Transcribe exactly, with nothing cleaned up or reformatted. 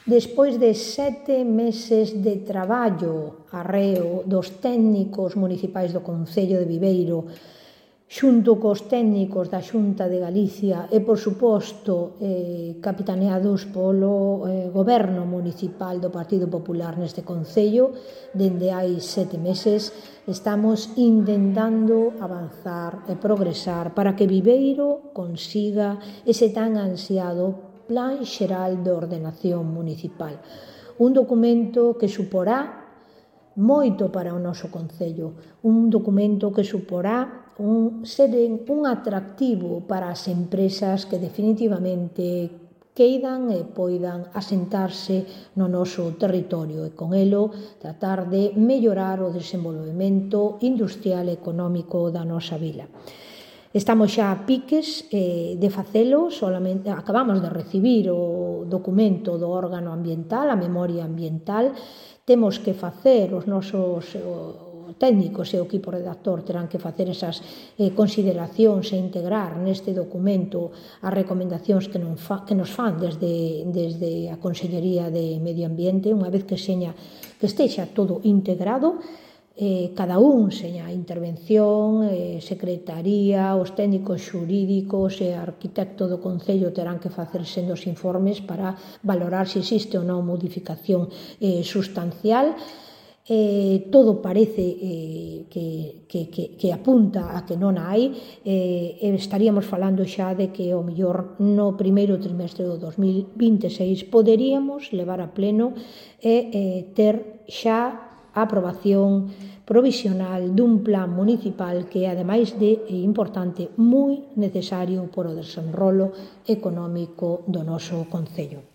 Despois de sete meses de traballo arreo dos técnicos municipais do Concello de Viveiro, xunto cos técnicos da Xunta de Galicia e, por suposto, eh, capitaneados polo eh, Goberno Municipal do Partido Popular neste Concello, dende hai sete meses, estamos intentando avanzar e progresar para que Viveiro consiga ese tan ansiado Plan Xeral de Ordenación Municipal. Un documento que suporá moito para o noso Concello, un documento que suporá un, ser un atractivo para as empresas que definitivamente queidan e poidan asentarse no noso territorio e con elo tratar de mellorar o desenvolvemento industrial e económico da nosa vila. Estamos xa a piques eh, de facelo, solamente acabamos de recibir o documento do órgano ambiental, a memoria ambiental. Temos que facer os nosos o, técnicos e o equipo redactor terán que facer esas eh, consideracións e integrar neste documento as recomendacións que, non fa, que nos fan desde, desde a Consellería de Medio Ambiente. Unha vez que seña que estexa todo integrado, Eh, cada un, seña a intervención, eh, secretaría, os técnicos xurídicos e arquitecto do Concello terán que facer sendos informes para valorar se existe ou non modificación eh, sustancial. Eh, todo parece eh, que, que, que, que apunta a que non hai. Eh, estaríamos falando xa de que o mellor no primeiro trimestre do dos mil vinte e seis poderíamos levar a pleno e eh, ter xa a aprobación provisional dun plan municipal que, ademais de importante, moi necesario por o desenrolo económico do noso Concello.